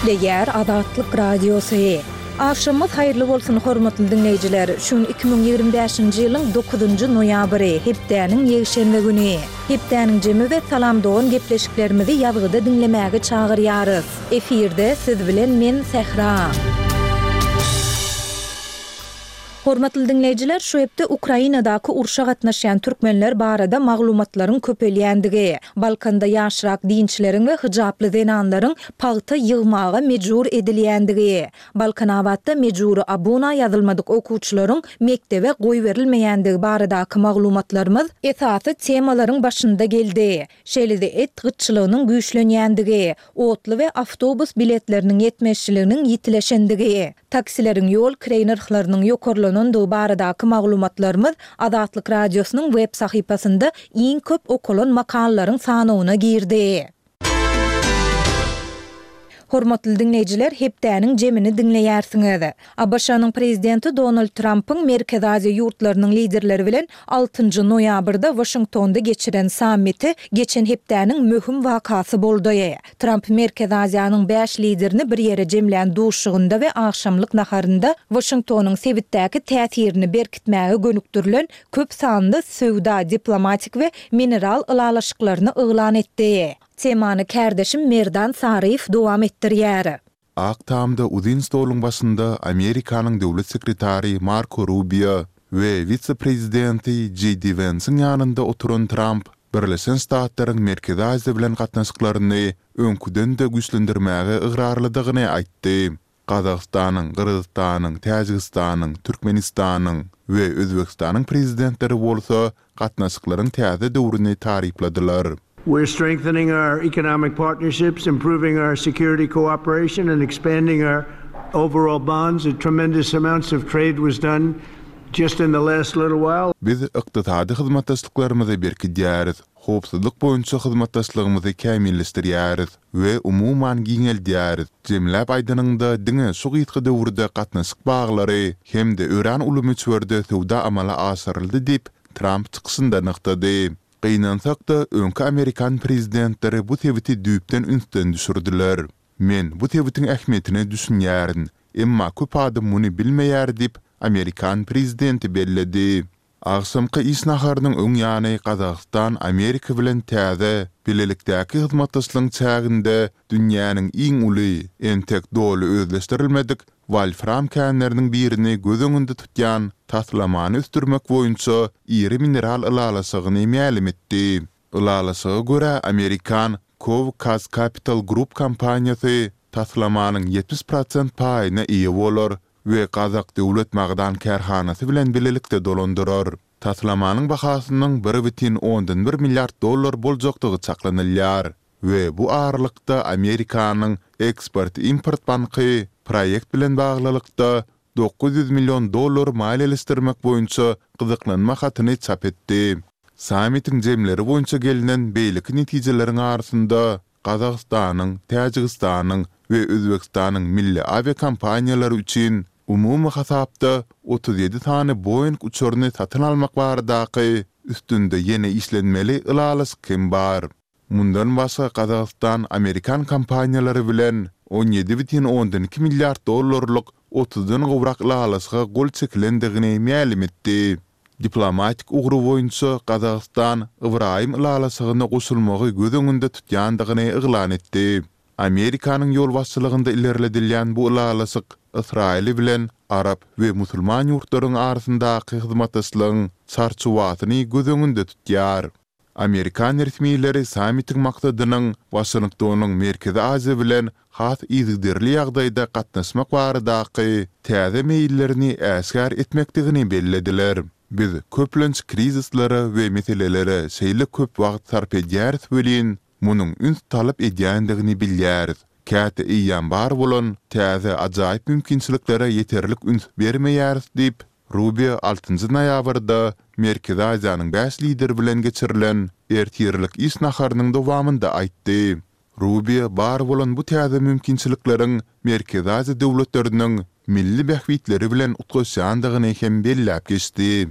Gepleýär Azatlyk Radiosy. Agşamyňyz haýyrly bolsun, hormatly diňleýjiler! Şu gün 2025-nji ýylyň dokuzynjy noýabry, hepdäniň ýekşenbe güni. Hepdäniň jemi we Salam dogan gepleşiklerimizi ýazgyda diňlemäge çagyrýarys. Efirde siz bilen men Sähra. Hormatly diňleýjiler, şu hepde Ukrainadaky urşa gatnaşýan türkmenler barada maglumatlaryň köpelýändigi, Balkanda ýaşrak dinçileriň we hyjaply zenanlaryň pagta ýygmaga mejbur edilýändigi, Balkanabatda mejbury abuna ýazylmadyk okuwçylaryň mekdebe goýberilmeýändigi baradaky maglumatlarymyz esasy temalaryň başynda geldi. Şeýle-de et gytçylygynyň güýçlenýändigi, otly we awtobus biletleriniň ýetmezçiliginiň ýitileşendigi, taksileriň ýol kireý nyrhlarynyň ýokarlanandygy baradaky maglumatlarymyz Azatlyk Radiosynyň web sahypasynda iň köp okalan makalalaryň sanawyna girdi. Hormatly diňleýjiler, hepdäniň jemini diňleýärsiňiz. ABŞ-nyň Prezidenti Donald Trampyň Merkezi Aziýa ýurtlarynyň liderleri bilen altynjy noýabrda Waşingtonda geçiren sammiti geçen hepdäniň möhüm wakasy boldy. Tramp Merkezi Aziýanyň bäş liderini bir ýere jemlän duşuşygynda we agşamlyk naharynda Waşingtonyň sebitdäki täsirini berkitmäge gönükdirilen köp sanly söwda, diplomatik we mineral ylalaşyklaryny yglan etdi. Temany kärdeşim Merdan Saryýew dowam etdirýär. Ak Tamda uzyn stoluň başynda Amerikanyň Döwlet sekretary Marko Rubio we wise-prezidenti Jeý Di Wensiň ýanynda oturan Tramp Birleşen Ştatlaryň Merkezi Aziýa bilen gatnaşyklaryny öňküden-de güýçlendirmäge ygrarlydygyny aýtdy. Gazagystanyň, Gyrgyzystanyň, Täjigistanyň, Türkmenistanyň we Özbegistanyň prezidentleri bolsa gatnaşyklaryň täze döwrüni tarypladylar. We're strengthening our economic partnerships, improving our security cooperation and expanding our overall bonds. Tremendous amounts of trade was done just in the last little while. Biz ykdysady hyzmatdaşlyklarymyzy berkidýäris, howpsuzlyk boýunça hyzmatdaşlygymyzy kämilleşdirýäris we umuman giňeldýäris. Jemläp aýdanyňda, diňe şu gysga döwürde gatnaşyk baglary hem-de örän uly möçberde söwda amala aşyryldy diýip, Tramp çykyşynda nygtady. Gynansak-da, öňki amerikan prezidentleri bu sebiti düýpden ünsden düşürdiler. Men bu sebitiň ähmiýetine düşünýärin, emma köp adam muny bilmeýär diýip, amerikan prezidenti belledi. Agşamky iş naharynyň öň ýany Gazagystan Amerika bilen täze, bilelikdäki hyzmatdaşlygyň çäginde dünýäniň iň uly, entek doly özleşdirilmedik wolfram känleriniň birini göz öňünde tutýan taslamany ösdürmek boýunça iri mineral ylalaşygyny mälim etdi. Ylalaşyga görä, amerikan Cove Capital Group kompaniýasy taslamanyň 70 prosent paýyna eýe bolar we Gazak döwlet magdan kärhanasy bilen bilelikde dolandyrar. Taslamanyň bahasynyň 1,1 milliard dollar boljakdygy çaklanylýar we bu aralykda Amerikanyň Eksport-import banky proýekt bilen baglylykda 900 million dollar maliýeleşdirmek boýunça gyzyklanma hatyny çap etdi. Sammitiň jemleri boýunça gelnen beýleki netijeleriň arasynda Gazagystanyň, Täjigistanyň we Özbegistanyň milli awiakompaniýalary üçin umumy hasapda 37 sany Boeing uçaryny satyn almak baradaky üstünde ýene işlenmeli ylalaşyk hem bar. Mundan başga Gazagystan amerikan kompaniýalary bilen 17,2 milliard dollarlyk otuzdan gowrak ylalaşyga gol çekilendigini mälim etdi. Diplomatik ugry boýunça Gazagystan Ybraýym ylalaşygyna goşulmagy göz öňünde tutýandygyny yglan etdi. Amerikanyň ýolbaşçylygynda ilerledilýän bu ylalaşyk Ysraýyl bilen arap we musulman ýurtlaryň arasyndaky hyzmatdaşlygyň çarçuwasyny göz öňünde tutýar. Amerikan resmileri sammitiň maksadynyň Waşingtonyň Merkezi Aziýa bilen has yzygiderli ýagdaýda gatnaşmak baradaky täze meýillerini äşgär etmekdigini bellediler. Biz köplenç krizislere we meselelere şeýle köp wagt sarp edýäris welin, munuň üns talap edýändigini bilýäris. Käte eýýäm bar bolan täze ajaýyp mümkinçiliklere ýeterlik üns bermeýäris diýip, Rubio altynjy noýabrda Merkezi Aziýanyň bäş lideri bilen geçirilen ertirlik iş naharynyň dowamynda aýtdy. Rubio bar bolan bu täze mümkinçilikleriň Merkezi Aziýa döwletleriniň milli bähbitleri bilen utgaşýandygyny hem belläp geçdi.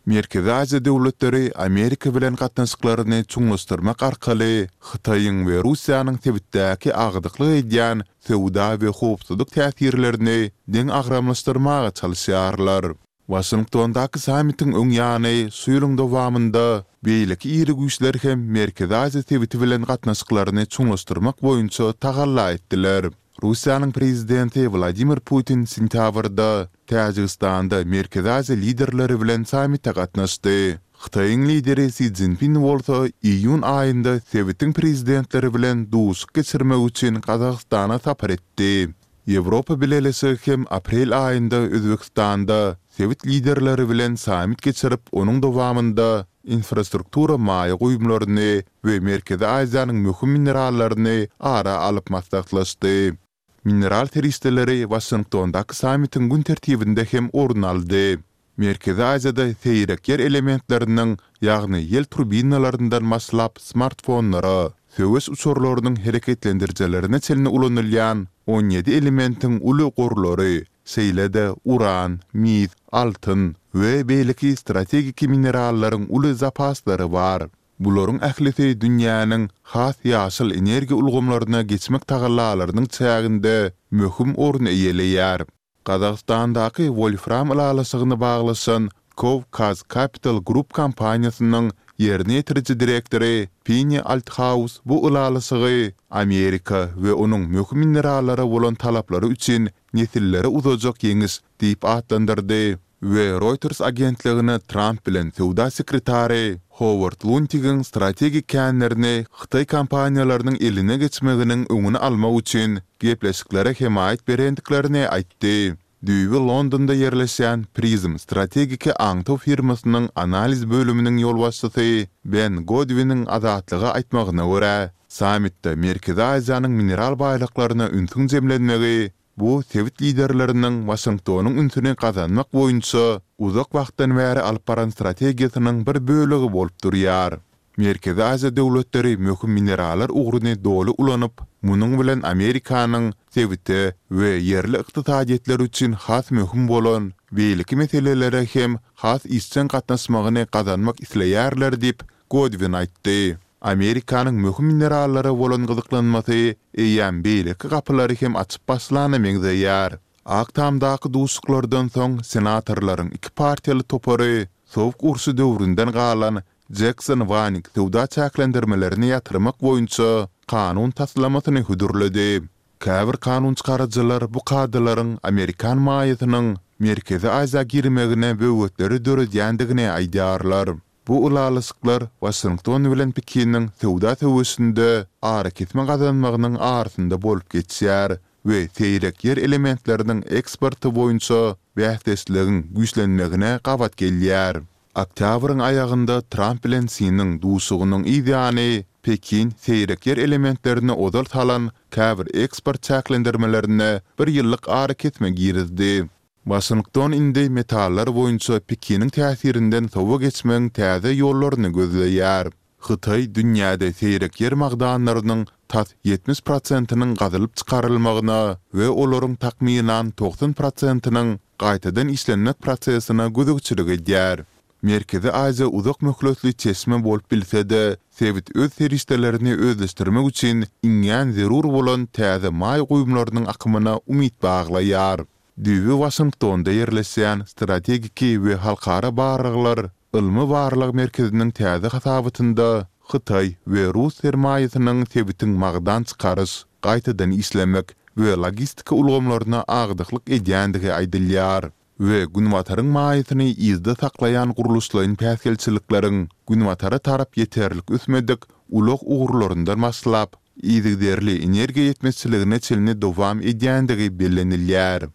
Merkezi Aziýa döwletleri Amerika bilen gatnaşyklaryny çuňlaşdyrmak arkaly Hytaýyň we Russiýanyň sebitdäki agdyklyk edýän söwda we howpsuzlyk täsirlerini deňagramlaşdyrmaga çalyşýarlar. Waşingtondaky sammitiň öň ýany şu ýylyň dowamynda beýleki iri güýçler hem Merkezi Aziýa sebiti bilen gatnaşyklaryny çuňlaşdyrmak boýunça tagalla etdiler. Russiýanyň prezidenti Wladimir Putin sentýabrda Täjigistanda Merkezi Aziýa liderleri bilen sammite gatnaşdy. Hytaýyň lideri Si Szinpin bolsa iýun aýynda sebitiň prezidentleri bilen duşuşyk geçirmek üçin Gazagystana sapar etdi. Ýewropa Bileleşigi hem aprel aýynda Özbegistanda sebit liderleri bilen sammit geçirip, onuň dowamynda infrastruktura maýa goýumlaryny we Merkezi Aziýanyň möhüm minerallaryny ara alyp maslahatlaşdy. Mineral serişdeleri Waşingtondaky sammitiň gün tertibinde hem orun aldy. Merkezi Aziýada seýrek ýer elementleriniň, ýagny ýel turbinalaryndan başlap smartfonlara, söweş uçarlarynyň hereketlendirijilerine çenli ulanylýan 17 elementiň uly gorlary, şeýle-de uran, mis, altyn we beýleki strategik minerallaryň uly zapaslary bar. Bularyň ählisi dünýäniň has ýaşyl energiýa ulgamlaryna geçmek tagallalarynyň çäginde möhüm orun eýeleýär. Gazagystandaky wolfram ylalaşygyny baglaşan Cov-Kaz Capital Group kompaniýasynyň ýerine ýetiriji direktory Penni Althaus bu ylalaşygy Amerika we onuň möhüm minerallara bolan talaplary üçin nesillere uzajak ýeňiş diýip atlandyrdy we Reuters agentligine Tramp bilen söwda sekretary Howard Luntigiň strategik känlerini hytaý kompaniýalarynyň eline geçmeginiň öňüni almak üçin gepleşiklere hemaýat berendiklerini aýtdy. Düýbi Londonda ýerleşýän Prism strategik aňtaw firmasynyň analiz bölüminiň ýolbaşçysy Ben Godwiniň Azatlyga aýtmagyna görä, sammitde Merkezi Aziýanyň mineral baýlyklaryna ünsüň jemlenmegi Bu sebit liderleriniň Waşingtonyň ünsüni gazanmak boýunça uzak wagtdan bäri alyp baran strategiýasynyň bir bölegi bolup durýar. Merkezi Aziýa döwletleri möhüm minerallar ugruny doly ulanyp, munuň bilen Amerikanyň sebite we ýerli ykdysadyýetler üçin has möhüm bolan beýleki meselelere hem has işjeň gatnaşmagyny gazanmak isleýärler diýip, Godwin aýtdy. Amerikanyň möhüm minerallara bolan gyzyklanmasy eýýäm beýleki gapylary hem açyp başlana meňzeýär. Ak Tamdaky duşuşyklardan soň senatorlaryň iki partiýaly topary Sowuk urşy döwründen galan Jekson-Wanik söwda çäklendirmelerini ýatyrmak boýunça kanun taslamasyny hödürledi. Käbir kanunçykaryjylar bu kadalaryň amerikan maýasynyň Merkezi Aziýa girmegine böwetleri döredýändigini aýdýarlar. Bu ylalaşyklar Waşington bilen Pekiniň söwda söweşinde arakesme gazanmagynyň arasynda bolup geçýär we seýrek ýer elementleriniň eksporty boýunça bäsdeşligiň güýçlenmegine gabat gelýär. Oktýabryň aýagynda Tramp bilen Siniň duşugynyň yz ýany Pekin seýrek ýer elementlerine ozal salan käbir eksport çäklendirmelerine bir ýyllyk arakesme girizdi. Waşington indi metallar boýunça Pekiniň täsirinden sowa geçmegiň täze ýollaryny gözleýär. Hytaý dünýäde seýrek ýer magdanlarynyň tas 70 prosentiniň gazylyp çykarylmagyna we olaryň takmynan 90 prosentiniň gaýtadan işlenmek prosesine gözegçilik edýär. Merkezi Aziýa uzak möhletli çeşme bolup bilse-de, sebit öz serişdelerini özleşdirmek üçin iňňän zerur bolan täze maýa goýumlarynyň akymyna umyt baglaýar. Düýbi Waşingtonda ýerleşýän Strategiki we halkara barlaglar ylmy-barlag merkeziniň täze hasabatynda hytaý we rus sermaýasynyň sebitiň magdan çykaryş, gaýtadan işlemek we logistika ulgamlaryna agdyklyk edýändigi aýdylýar we Günbataryň maýasyny yzda saklaýan gurluşlaýyn päsgelçilikleriň Günbatara tarap ýeterlik ösmedik ulag ugurlaryndan başlap, yzygiderli energiýa ýetmezçiligine çenli dowam edýändigi bellenilýär.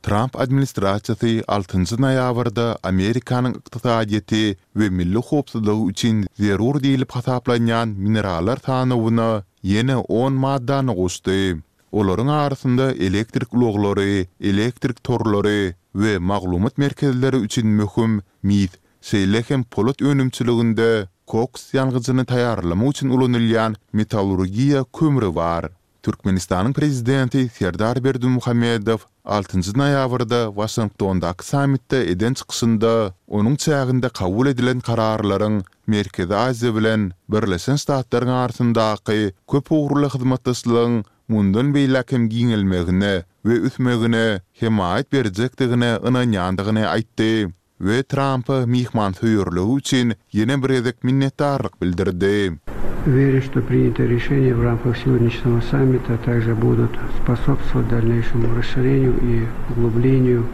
Tramp administrasiýasy altynjy noýabrda Amerikanyň ykdysadyýeti we milli howpsuzlygy üçin zerur diýlip hasaplanýan minerallar sanawyna ýene on maddany goşdy. Olaryň arasynda elektrik ulaglary, elektrik torlary we maglumat merkezleri üçin möhüm mis, şeýle hem polat önümçiliginde koks ýangyjyny taýýarlamak üçin ulanylýan metallurgiýa kömri bar. Türkmenistanyň Prezidenti Serdar Berdimuhamedow. Altynjy noýabrda Waşingtondaky sammitde eden çykyşynda onuň çäginde kabul edilen kararlaryň Merkezi Aziýa bilen Birleşen Ştatlaryň arasyndaky köp ugurly hyzmatdaşlygyň mundan beýläk hem giňelmegine we ösmegine hemaýat berjekdigine ynanýandygyny aýtdy we Trampa myhmansöýerligi üçin ýene bir gezek minnetdarlyk bildirdi. Уверен, что принятые решения в рамках сегодняшнего саммита также будут способствовать дальнейшему расширению и углублению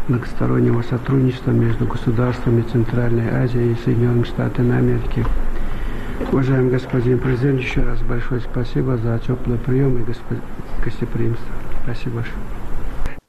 многостороннего сотрудничества между государствами Центральной Азии и Соединенными Штатами Америки. Уважаемый господин президент, еще раз большое спасибо за теплый прием и гостеприимство. Спасибо большое.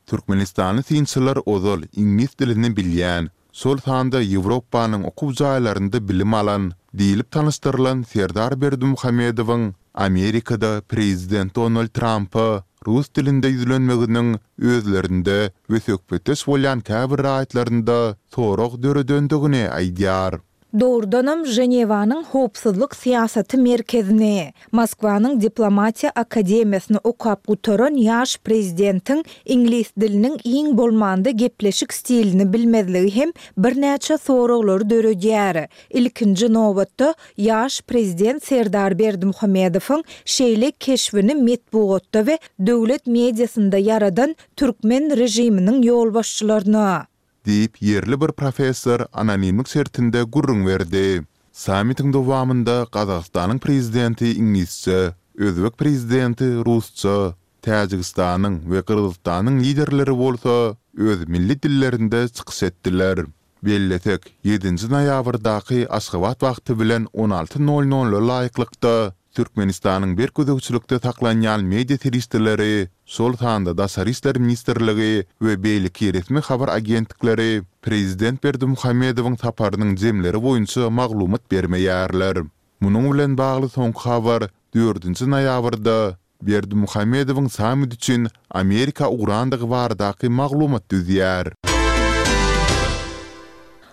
Türkmenistanly synçylar ozal iňlis dilini bilýän, şol sanda Ýewropanyň okuw jaýlarynda bilim alan diýlip tanyşdyrylan Serdar Berdimuhamedowyň Amerikada prezident Donald Trampa rus dilinde ýüzlenmeginiň özlerinde we söhbetdeş bolýan käbir raýatlarynda sorag döredendigini aýdýar. Dogrudanam, Ženewanyň Howpsuzlyk syýasaty merkezini, Moskwanyň Diplomatiýa akademiýasyny okap gutaran ýaş prezidentiň iňlis diliniň iň bolmanda gepleşik stilini bilmezligi hem birnäçe soraglary döredýär. Ilkinji nobatda, ýaş prezident Serdar Berdimuhamedowyň şeýle keşbini metbugatda we döwlet mediasynda ýaradan türkmen režiminiň ýolbaşçylaryna. Diýip, ýerli bir professor anonimlik şertinde gürrüň berdi. Sammitiň dowamynda Gazagystanyň prezidenti iňlisçe, özbek prezidenti rusça, Täjigistanyň we Gyrgyzystanyň liderleri bolsa öz milli dillerinde çykyş etdiler. Bellesek, ýedinji noýabrdaky Aşgabat wagty bilen 16 nol nola laýyklykda, Türkmenistanyň berk gözegçilikde saklanýan media serişdeleri, şol sanda Daşary işler ministrligi we beýleki resmi habar agentlikleri prezident Berdimuhamedowyň saparynyň jemleri boýunça maglumat bermeýärler. Munuň bilen bagly soňky habar dördünji noýabrda Berdimuhamedowyň sammit üçin Amerika ugrandygy baradaky maglumat düzýär.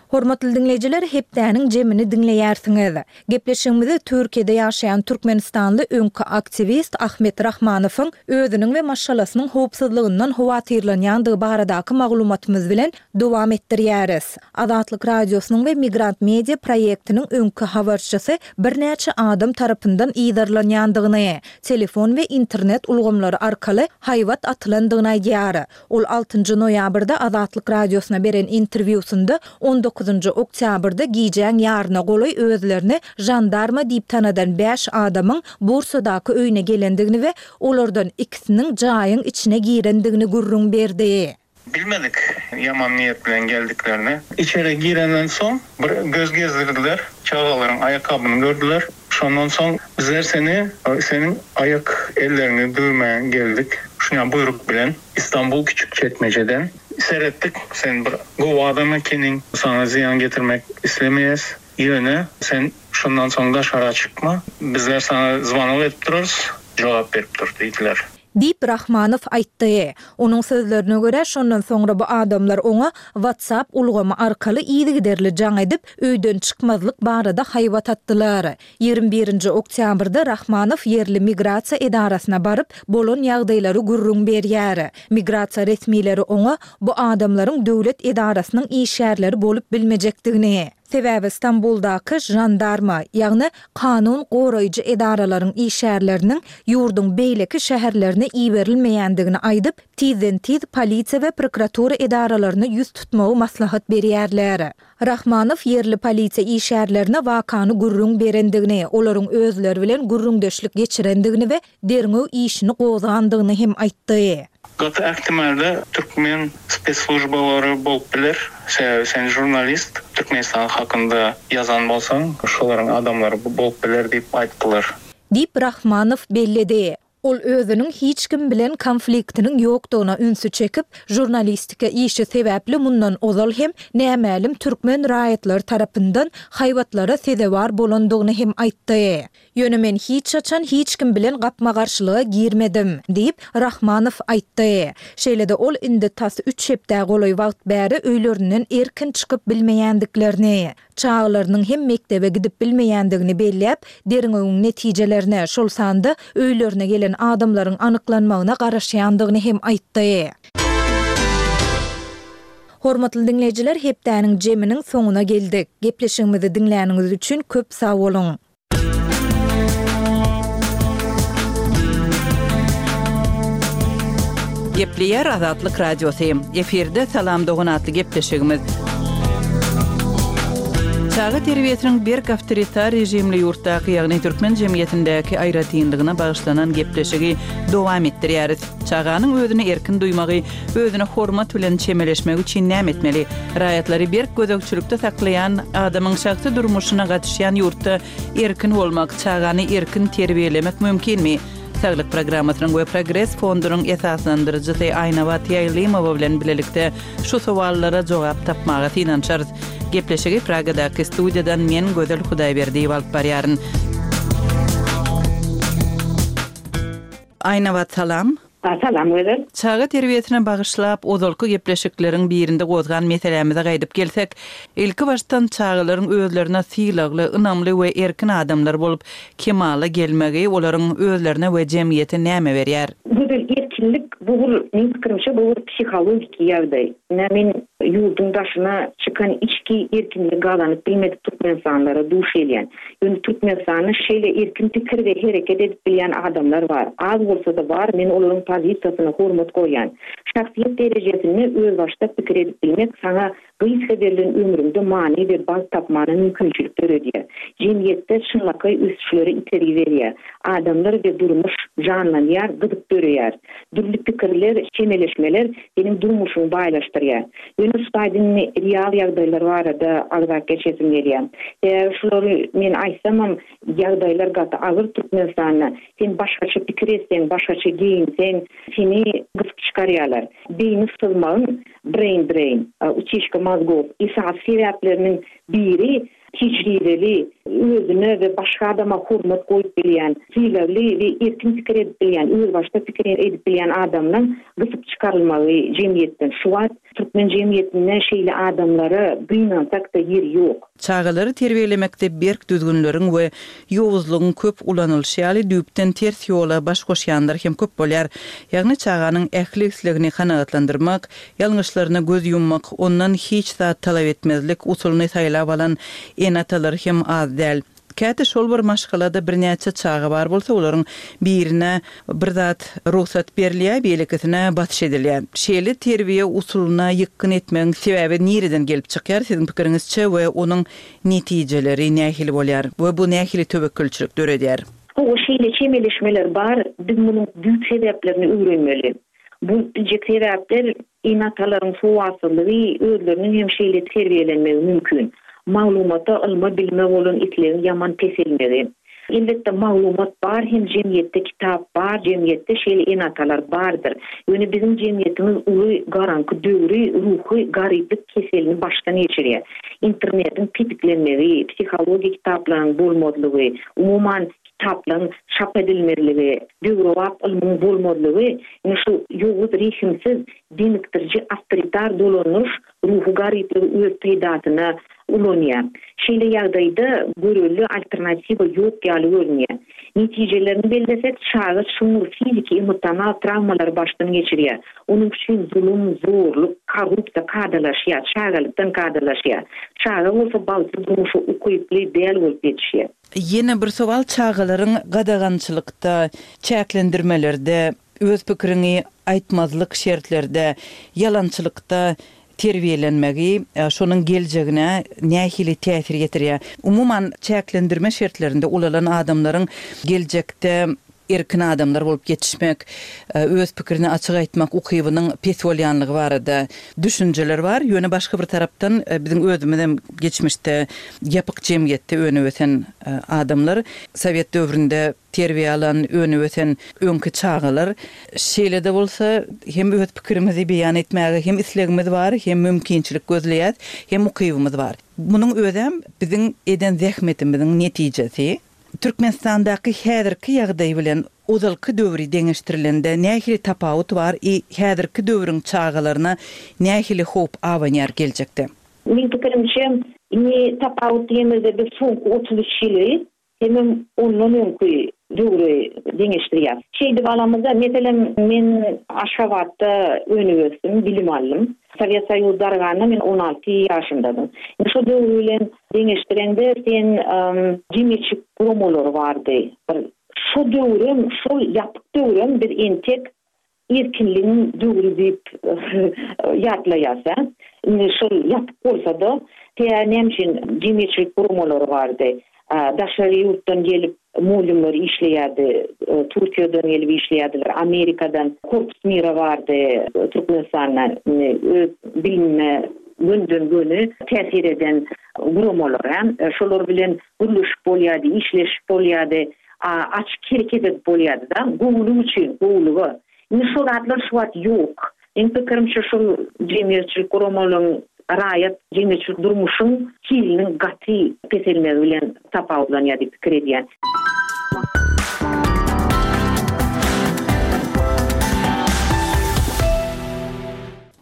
Hormatly diňleýjiler, hepdäniň jemini diňleýärsiňiz. Gepleşigimizi Türkiýede ýaşaýan türkmenistanly öňki aktiwist Ahmet Rahmanowyň özüniň we maşgalasynyň howpsuzlygyndan howatyrlanýandygy baradaky maglumatymyz bilen dowam etdirýäris. Azatlyk Radiosynyň we Migrant Media proýektiniň öňki habarçysy birnäçe adam tarapyndan yzarlanýandygyny, telefon we internet ulgamlary arkaly haýbat atylandygyny aýdýar. Ol altynjy noýabrda Azatlyk Radiosyna beren interwýusynda on dokuzynjy oktýabrda gijäň ýaryna golaý özlerini žandarma diýip tanadan bäş adamyň Bursadaky öýüne gelendigini we olardan ikisiniň jaýyň içine girendigini gürrüň berdi. Bilmedik ýaman niýet bilen geldiklerini. Içeri girenden soň bir göz gezdirdiler, çagalaryň aýakgabyny gördüler. Şondan soň bizler seni, seniň aýak elleriňi döwmäge geldik. Şuňa buýruk bilen Istanbul Küçükçekmejeden seretdik, sen bir gowy adam ekeniň, saňa zyýan getirmek islemeýäs. Ýöne sen şondan soň daşara çykma, bizler saňa zwanok edip durarys, jogap berip dur diýdiler. Diýip, Rahmanow aýtdy. Onuň sözlerine görä, şondan soňra bu adamlar oňa WhatsApp ulgamy arkaly yzygiderli jaň edip, öýden çykmazlyk barada haýbat atdylar. 21 nji oktýabrda Rahmanow ýerli migrasiýa edarasyna baryp, bolan ýagdaýlary gürrüň berýär. Migrasiýa resmileri oňa bu adamlaryň döwlet edarasynyň işgärleri bolup bilmejekdigini, sebäbi Stambuldaky žandarma, ýagny kanun goraýjy edaralaryň işgärleriniň ýurduň beýleki şäherlerine iberilmeýändigini aýdyp, tizden-tiz polisiýa we prokuratura edaralaryna ýüz tutmagy maslahat berýärler. Rahmanow ýerli polisiýa işgärlerine wakany gürrüň berendigini, olaryň özleri bilen gürrüňdeşlik geçirendigini we derňew işini gozgandygyny hem aýtdy. Gaty ähtimalda türkmen spesslujbalary bolup biler, sebäbi sen žurnalist, Türkmenistan hakynda ýazan bolsaň, şolaryň adamlary bolup biler diýip aýtdylar. Diýip, Rahmanow belledi. Ol özüniň hiç kim bilen konfliktiniň ýokdugyna ünsi çekip, žurnalistika işi sebäpli mundan ozal hem nämälim türkmen raýatlary tarapyndan haýbatlara sezewar bolandygyny hem aýtdy. Ýöne men hiç haçan hiç kim bilen gapma-garşylyga girmedim, diýip, Rahmanow aýtdy. Şeýle-de ol indi tas üç hepdä golaý wagt bäri öýlerinden erkin çykyp bilmeýändiklerini, çagalarynyň hem mekdebe gidip bilmeýändigini belläp, derňewiň netijelerine, şol sanda öýlerine gelen. eden adamlaryň anyklanmagyna garaşýandygyny hem aýtdy. Hormatly diňleýjiler, hepdäniň jeminiň soňuna geldik. Gepleşigimizi diňläniňiz üçin köp sag boluň! Gepleýär Azatlyk Radiosy. Efirde Salam dogan atly gepleşigimiz. Çaga terbiýesiniň berk awtoritar režimli ýurtdaky, ýagny türkmen jemgyýetindäki aýratynlygyna bagyşlanan gepleşigi dowam etdirýäris. Çaganyň özüni erkin duýmagy, özüne hormat bilen çemeleşmegi üçin näme etmeli? Raýatlary berk gözegçilikde saklaýan, adamyň şahsy durmuşyna gatyşýan ýurtda erkin bolmak, çagany erkin terbiýelemek mümkinmi? Saglyk programmasynyň we Progres fondunyň esaslandyryjysy Aýnabat Ýaýlymowa bilen bilelikde şu sowallara jogap tapmaga synanyşarys. Gepleşigi Pragadaky studiýadan men Gözel Hudaýberdiýewa alyp barýaryn. Aýnabat salam. Salam Gözel. Çaga terbiýesine bagyşlap ozalky gepleşikleriň birinde gozgan meselämize gaýdyp gelsek, ilki başdan çagalaryň özlerine sylagly, ynamly we erkin adamlar bolup kemala gelmegi olaryň özlerine we jemgyýete näme berýär? Gözel, erkinlik bu bir, meň pikirimçe, bu bir psihologiki ýagdaý. Ine, men ýurduň daşyna çykan içki erkinligi gazanyp bilmedik türkmenistanlylara duş gelýän. Ýöne Türkmenistanda şeýle erkin pikir we hereket edip bilýän adamlar bar. Az bolsa-da bar, men olaryň pozisiýasyna hormat goýýan. Şahsyýet derejesinde özbaşdak pikir edip bilmek saňa gysga berlen ömrüňde many we bagt tapmana mümkinçilik döredýär. Jemgyýetde çynlakaý ösüşlere itergi berýär. Adamlar we durmuş janlanýar, gyzyk döreýär. Dürli pikirler, çemeleşmeler seniň durmuşyňy baýlaşdyrýar. Ýöne şu taýda indi real ýagdaýlar barada agzap geçesim gelýär. Sebäbi şulary men aýtsamam ýagdaýlar gaty agyr Türkmenistanda. Sen başgaça pikir etseň, başgaça geýinseň seni gysyp çykarýarlar. Beýni syzmagyň, brain drain, utişka mozgov, esasy sebäpleriniň biri Tejribeli, özüne we başga adama hormat goýup bilýän, sylagly we erkin pikir edip bilýän, özbaşdak pikir edip bilýän adamlaň gysyp çykarylmagy jemgyýetden. Şu wagt türkmen jemgyýetinde şeýle adamlara gynansak-da ýer ýok. Çagalary terbiýelemekde berk düzgünleriň we ýowuzlygyň köp ulanylyşy ýaly düýpden ters ýola baş goşýanlar hem köp bolýar. Ýagny çaganyň ähli islegini kanagatlandyrmak, Ýalňyşlaryna göz ýummak, ondan hiç zat talap etmezlik usulyny saýlap alan ene-atalar hem az däl. Käte şol bir maşgalada birnäçe çaga bar bolsa, olaryň birine bir zat rugsat berilýär, beýlekisine basyş edilýär. Şeýle terbiýe usulyna ýykgyn etmegiň sebäbi nireden gelip çykýar siziň pikiriňizçe we onuň netijeleri nähili bolýar we bu nähili töwekgelçilik döredýär? Hawa, şeýle çemeleşmeler bar, biz munuň düýp sebäplerini öwrenmeli. Bolup biljek sebäpler ene-atalaryň sowatsyzlygy, özleriniň hem şeýle terbiýelenmegi mümkin. Maglumata, ylma, bilime bolan islegiň ýaman peselmegi. Elbetde, maglumat bar hem jemgyýetde kitap bar, jemgyýetde şeýle ene-atalar bardyr. Ýöne biziň jemgyýetimiz uly garaňky döwri, ruhy garyplyk keselini başdan geçirýär. Internetiň petiklenmegi, psihologiýa kitaplaryň bolmazlygy, umuman, kitaplaryň çap edilmezligi, döwrebap ylmyň bolmazlygy ine şu ýowuz, rehimsiz, demikdiriji awtoritar dolandyryş ruhy garyplygy öz peýdasyna ulanýar. Şeýle ýagdaýda görelde alternatiwa ýok ýaly görünýär. Netijelerini bellesek, çaga çuňňur fiziki, emosional trawmalary başdan geçirýär. Onuň üçin zulum, zorluk, korrupsiýa kadalaşýar, çagalykdan kadalaşýar. Çaga bolsa bagtly durmuşa ukyply däl bolup ýetişýär. Ýene bir sowal çagalaryň gadagançylykda, çäklendirmelerde, öz pikiriňi aýtmazlyk şertlerde, ýalançylykda terbiýelenmegi şonuň geljegine nähili täsir ýetirýär? Umuman, çäklendirme şertlerinde ulalan adamlaryň geljekde erkin adamlar bolup ýetişmek, öz pikirini açyk aýtmak ukybynyň pes bolýanlygy barada düşünjeler bar. Ýöne başga bir tarapdan biziň özümizem geçmişde ýapyk jemgyýetde önüp-ösen adamlar, sowet döwründe terbiýe alan, önüp-ösen öňki çagalar. Şeýle-de bolsa hem öz pikirimizi beýan etmäge hem islegimiz bar, hem mümkinçilik gözleýäs, hem ukybymyz bar. Munuň özem biziň eden zähmetimiziň netijesi. Türkmenistandaky häzirki ýagdaý bilen ozalky döwri deňeşdirilende nähili tapawut bar i häzirki döwrüň çagalaryna nähili howp abanýar geljekde? Meň pikirimçe, indi tapawut diýemizde biz soňky 33 ýyly hemem ondan öňki. döwri deňeşdirýäs. Şeýdip alamyzda, meselem, men Aşgabatda önüp-ösdüm, bilim aldym. Sowet Soýuzy darganda men 16 ýaşymdadym. Indi şo döwür bilen deňeşdireňde sen jemgyýetçilik guramalary bardy. Bir şo döwrem, şol ýapyk döwrem biz entek erkinligiň döwri diýip ýatlaýas a. Indi şol ýapyk bolsa-da, tä näme üçin jemgyýetçilik guramalary bardy. Daşary ýurtdan gelip mugallymlar işleýärdi. Türkiýeden gelip işleýärdiler, Amerikadan Korpus Mira bardy Türkmenistanda. Indi öz bilimime gönden-göni täsir eden guramalar a. Şolar bilen gürleşip bolýardy, işleşip bolýardy. Açyk hereket edip bolýardy-da, gowulyk üçin, gowulyga. Indi şo zatlar şu wagt ýok. Meň pikirimçe şol jemgyýetçilik guramalaryň, raýat jemgyýetçilik durmuşyň hiliniň gaty peselmegi bilen tapawutlanýar diýip pikir edýän.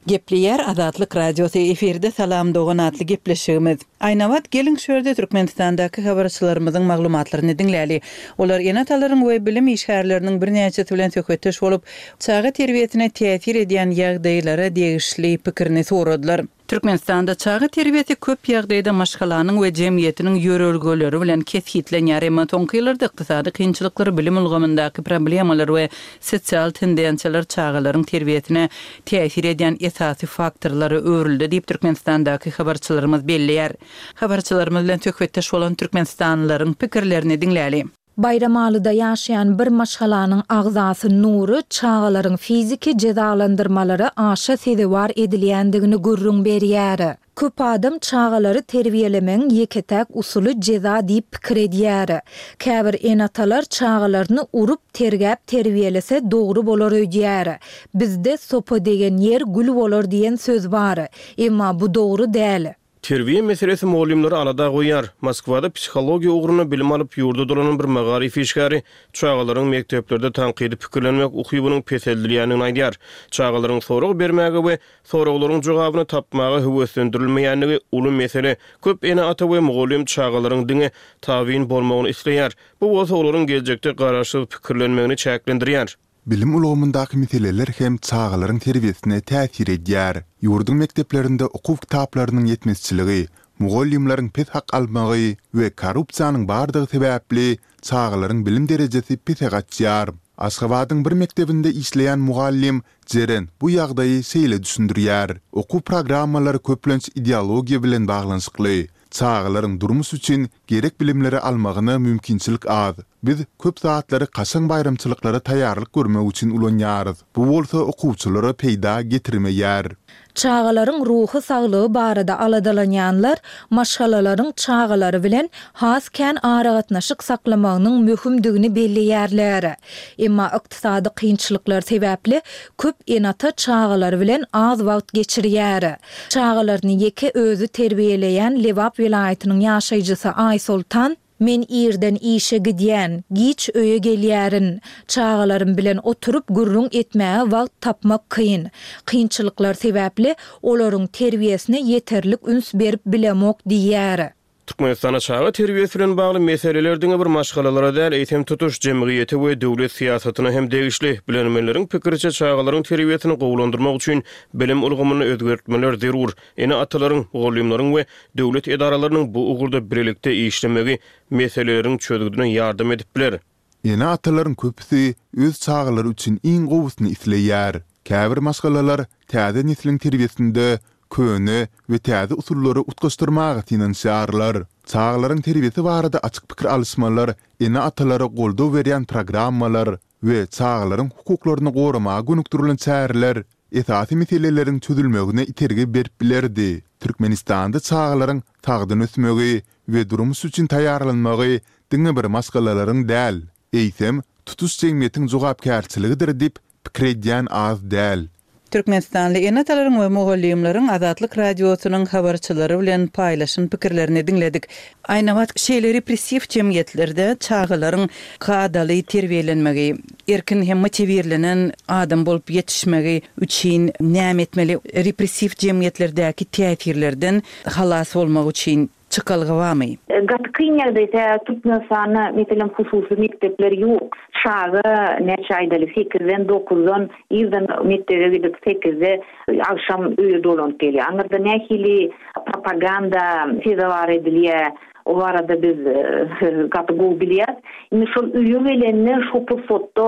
Gepleýär Azatlyk Radiosy, efirde Salam dogan atly gepleşigimiz. Aýnabat, geliň şu ýerde Türkmenistandaky habarçylarymyzyň maglumatlaryny diňläli. Olar ene-atalaryň we bilim işgärleriniň birnäçesi bilen söhbetdeş bolup, çaga terbiýesine täsir edýän ýagdaýlara degişli pikirini soradylar. Türkmenistanda çaga terbiýesi köp ýagdaýda maşgalanyň we jemgyýetiniň ýörelgeleri bilen kesgitlenýär. Emma soňky ýyllarda ykdysady kynçylyklar, bilim ulgamyndaky problemalar we sosial tendensiýalar çagalaryň terbiýesine täsir edýän esasy faktorlara öwrüldi diýip, Türkmenistandaky habarçylarymyz belleýär. Habarçylarymyz bilen söhbetdeş bolan türkmenistanlylaryň pikirlerini diňläli. Baýramalyda ýaşaýan bir maşgalanyň agzasy Nury çagalaryň fiziki jezalandyrmalara aşa sezewar edilýändigini gürrüň berýär. Köp adam çagalary terbiýelemegiň ýeke-täk usuly jeza diýip pikir edýär. Käbir ene-atalar çagalaryny urup, tergäp terbiýelese dogry bolar öýdýär. Bizde Sopa degen ýer gül bolar diýen söz bar. Emma bu dogry däl. Terbiýe meselesi mugallymlary alada goýýar. Moskwada psihologiýa ugrunda bilim alyp, ýurda dolanan bir magaryf işgäri çagalaryň mekdeplerde tankydy pikirlenmek ukybynyň peseldilýändigini aýdýar. Çagalaryň sorag bermäge we soraglaryň jogabyny tapmaga höweslendirilmeýändigi uly mesele. Köp ene-ata we mugallym çagalaryň diňe tabyn bolmagyny isleýär. Bu bolsa olaryň geljekde garaşsyz pikirlenmegini çäklendirýär. Bilim ulgamyndaky meseleler hem çagalaryň terbiýesine täsir edýär. Ýurduň mekdeplerinde okuw kitaplarynyň ýetmezçiligi, mugallymlaryň pes hak almagy we korrupsiýanyň bardygy sebäpli çagalaryň bilim derejesi pese gaçýar. Aşgabadyň bir mekdebinde işleýän mugallym Jeren bu ýagdaýy şeýle düşündirýär, Okuw programmalary köplenç ideologiýa bilen baglanyşykly. Çagalaryň durmuş üçin gerek bilimleri almagyna mümkinçilik az. Biz köp zatlary kaşaň baýramçylyklara taýýarlyk görmek üçin ulanýarys. Bu bolsa okuwçylara peýda getirmeýär. Çagalaryň ruhy saglygy barada aladalanýanlar maşgalalaryň çagalary bilen has kän aragatnaşyk saklamagynyň möhümdigini belleýärler. Emma ykdysady kynçylyklar sebäpli köp ene-ata çagalary bilen az wagt geçirýär. Çagalaryny ýeke özi terbiýeleýän Lebap welaýatynyň ýaşaýjysy Aýsoltan, Men irden işe gidýän, giç öýe gelýärin. Çagalarym bilen oturyp gürrüň etmäge wagt tapmak kyn. Kynçylyklar sebäpli, olaryň terbiýesine ýeterlik üns berip bilemok diýýär. Türkmenistanda çaga terbiýesi bilen bagly meseleler diňe bir maşgalalara däl, eýsem tutuş jemgyýete we döwlet syýasatyna hem degişli. Bilermenleriň pikiriçe, çagalaryň terbiýesini gowulandyrmak üçin bilim ulgamynda özgertmeler zerur. Ene-atalaryň, mugallymlaryň we döwlet edaralarynyň bu ugurda birlikde işlemegi meseleleriň çözgüdine ýardam edip biler. Ene-atalaryň köpüsi öz çagalary üçin iň gowusyny isleýär. Käbir maşgalalar täze nesliň terbiýesinde köne we täze usullary utgaşdyrmaga synanyşýarlar. Çagalaryň terbiýesi barada açyk pikir alyşmalar, ene-atalara goldaw berýän programmalar we çagalaryň hukuklaryny goramaga gönükdirilen çäreler esasy meseleleriň çözülmegine itergi berip bilerdi. Türkmenistanda çagalaryň sagdyn ösmegi we durmuş üçin taýýarlanmagy diňe bir maşgalalaryň däl, eýsem, tutuş jemgyýetiň jogapkärçiligidir diýip pikir edýän az däl. Türkmenistanly ene-atalaryň we mugallymlaryň Azatlyk Radiosynyň habarçylary bilen paýlaşan pikirlerini diňledik. Aýnabat, şeýle repressiw jemgyýetlerde çagalaryň kadaly terbiýelenmegi, erkin hem motiwirlenen adam bolup ýetişmegi üçin näme etmeli? Repressiw jemgyýetlerdäki täsirlerden halas bolmak üçin? çykalga barmy? Gaty kyn ýagdaý, sebäbi Türkmenistanda, meselem, hususy mekdepler ýok. Çaga, näçe aýdaly, sekizden, dokuzdan irden mekdebe gidip, sekizde agşam öýe dolanyp gelýär. Aňyrda nähili propaganda sezewar edilýär, o barada biz gaty gowy bilýäris. Indi şol öýe gelende, şo pursatda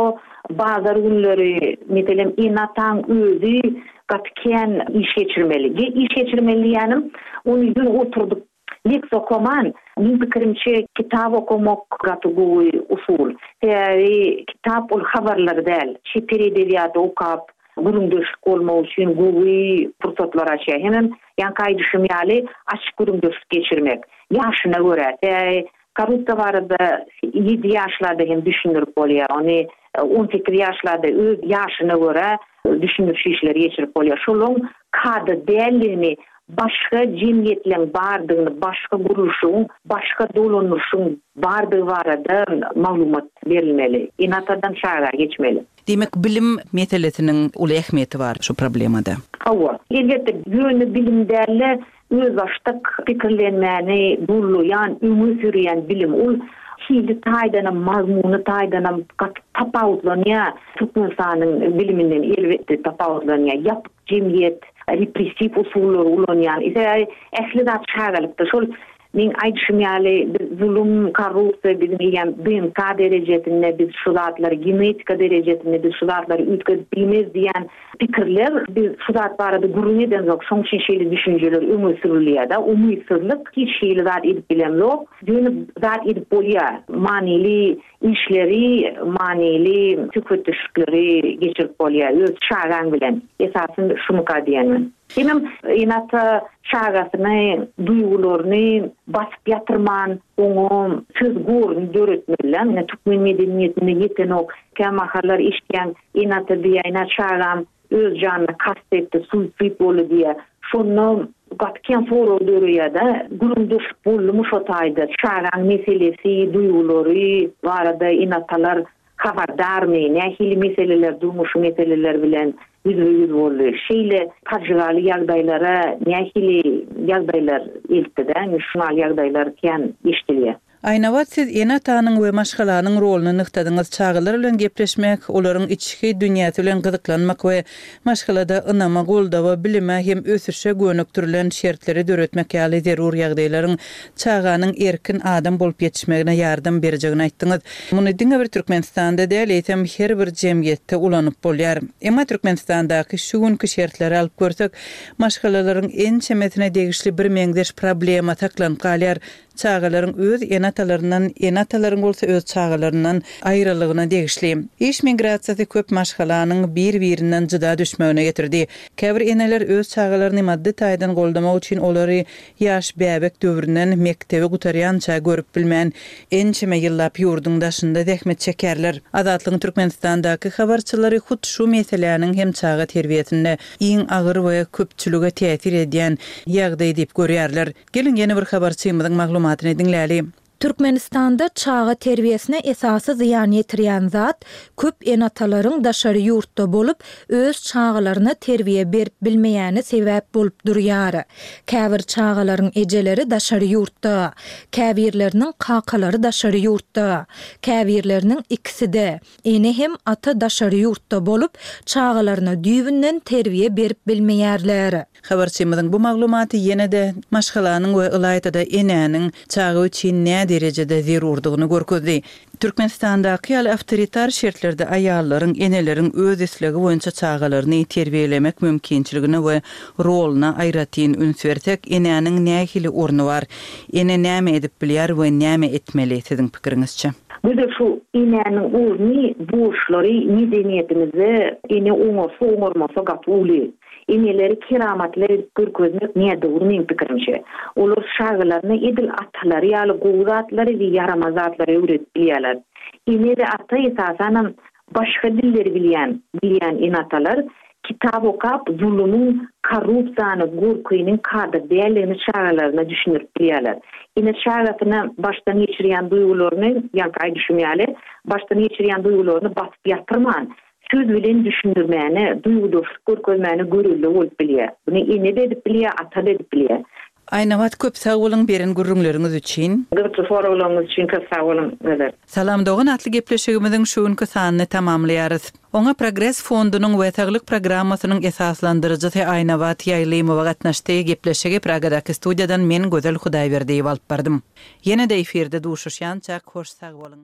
bazar günleri, meselem, ene-ataň özi gaty kän iş geçirmeli. Iş geçirmeli diýýänim, ony ýöne oturdyp leksiýa okaman, meň pikirimçe, kitap okamak gaty gowy usul. Sebäbi kitap ol habarlar däl. Çeper edebiýaty okap, gürrüňdeşlik bolmak üçin gowy pursatlar açýar. Hemem ýaňky aýdyşym ýaly, açyk gürrüňdeşlik geçirmek. Ýaşyna görä. Sebäbi Korrupsiýa barada ýedi ýaşlarda hem düşündirip bolýar. Ony 18 ýaşlarda öz ýaşyna görä düşündiriş işleri geçirip bolýar. Şolaň kada däldigini, başga jemgyýetleň bardygyny, başga gurluşygyň, başga dolandyryşyň bardygy barada maglumat berilmeli. Ene-atadan çaga geçmeli. Diýmek, bilim meselesiniň uly ähmiýeti bar şu problemada. Hawa, elbetde, ýöne bilim däl-de, özbaşdak pikirlenmäni gollaýan, öňe sürýän bilim. Ol hili taýdanam, mazmuny taýdanam gaty tapawutlanýar Türkmenistanyň biliminden, elbetde, tapawutlanýar. Ýapyk jemgyýet, repressiw usullary ulanýan. Sebäbi ähli zat çagalykda. Şol Meň aýdyşym ýaly, biz zulum, korrupsiýa biziň eýýäm DNK derejesinde biz şu zatlary, genetika derejesinde biz şu zatlary üýtgedip bilmez diýen pikirler, biz şu zat barada gürrüň edemzok, şoň üçin şeýle düşünjeler öňe sürülýär-de, umytsyzlyk, hiç hili zat edip bilemzok, ýöne zat edip bolýar, manyly işleri, manyly söhbetdeşlikleri geçirip bolýar öz çagaň bilen, esasy şumyka diýen men. Hemem ene-ata çagasyny, duýgularyny basyp ýatyrman, oňa söz goruny döretmeli-dä. Ine, türkmen medeniýetinde ýetenok. Kämahallar eşidýäň, ene-ata diýýär, ine, çagam öz janyna kast etdi, suisid boldy diýýär. Şonda gaty kän sorag döreýär-de, gürrüňdeşlik boldumy şo taýda? Çagaň meselesi, duýgulary barada ene-atalar Habardarmy, nähili meseleler, durmuşy meseleler bilen ýüzbe-ýüz boldy? Şeýle pajygaly ýagdaýlara nähili ýagdaýlar eltdi-dä? Indi şuňal ýagdaýlar kän eşidilýär. Aýnabat siz ene-atanyň we maşgalanyň roluny nygtadyňyz, çagalar bilen gepleşmek, olaryň içki dünýäsi bilen gyzyklanmak we maşgalada ynama, goldawa, bilime hem ösüşe gönükdirilen şertleri döretmek ýaly zerur ýagdaýlaryň çaganyň erkin adam bolup ýetişmegine ýardam berjegini aýtdyňyz. Muny diňe bir Türkmenistanda däl, eýsem her bir jemgyýetde ulanyp bolýar. Emma Türkmenistandaky şu günki şertleri alyp görsek, maşgalalaryň ençemesine degişli birmeňzeş problema saklanyp galýar, çagalaryň öz ene-atalaryndan, ene-atalaryň bolsa öz çagalaryndan aýralygyna degişli. Iş migrasiýasy köp maşgalanyň bir-birinden jyda düşmegine getirdi. Käbir eneler öz çagalaryny maddy taýdan goldamak üçin olary Ýaş bäbek döwründen mekdebi gutarýança görüp bilmän, ençeme ýyllap ýurduň daşynda zähmet çekerler. Azatlygyň Türkmenistandaky habarçylary hut şu meseläniň hem çaga terbiýesinde iň agyr we köpçülige täsir edýän ýagdaý diýip görýärler. Geliň ýene bir habarçymyzyň maglumatyny diňläli. Türkmenistanda çaga terbiýesine esasy zyýan ýetirýän zat, köp ene-atalaryň daşary ýurtda bolup, öz çagalaryna terbiýe berip bilmeýäni sebäp bolup durýar. Käbir çagalaryň ejeleri daşary ýurtda, käbirleriniň kakalary daşary ýurtda, käbirleriniň ikisi-de, ene hem ata daşary ýurtda bolup, çagalaryna düýbünden terbiýe berip bilmeýärler. Habarçymyzyň bu maglumaty ýene-de maşgalanyň we ylaýta-da enäniň çaga üçin näderejede zerurdygyny görkezdi. Türkmenistandaky ýaly awtoritar şertlerde aýallaryň, eneleriň öz islegi boýunça çagalaryny terbiýelemek mümkinçiligine we roluna aýratyn üns bersek, enäniň nähili orny bar? Ene näme edip bilýär we näme etmeli, siziň pikiriňizçe? Gözel şu enäniň orny, borçlary medeniýetimizde ene oňarsa oňarmasa gaty uly. Eneleri keramatly edip görkezmek nädogry meň pikirimçe. Olar çagalaryna edil atalary ýaly gowy zatlary we ýaramaz zatlary öwredip bilýärler. Ene we ata esasanam başga dilleri bilýän bilýän ene-atalar kitap okap zulumyň, korrupsiýany, gorkynyň kada däldigini çagalaryna düşündirip bilýärler. Ene çagasyna başdan geçirýän duýgularyny, ýaňky aýdyşym ýaly, başdan geçirýän duýgularyny basyp ýatyrman, söz bilen düşündirmäne, duýgudaşlyk görkezmäne görelde bolup bilýär. Muny ene-de edip bilýär, ata-da edip bilýär. Aýnabat köp sag boluň beren gürrüňleriňiz üçin. Gyzykly soraglaryňyz üçin köp sag boluň Gözel. Salam dogan atly gepleşigimiziň şu günki sanyny tamamlaýarys. Oňa Progres fondunyň we Saglyk programmasynyň esaslandyryjysy Aýnabat Ýaýlymowa gatnaşdy. Gepleşigi Pragadaky studiýadan men Gözel Hudaýberdiýewa alyp bardym. Ýene-de efirde duşuşýançak hoş sag boluň.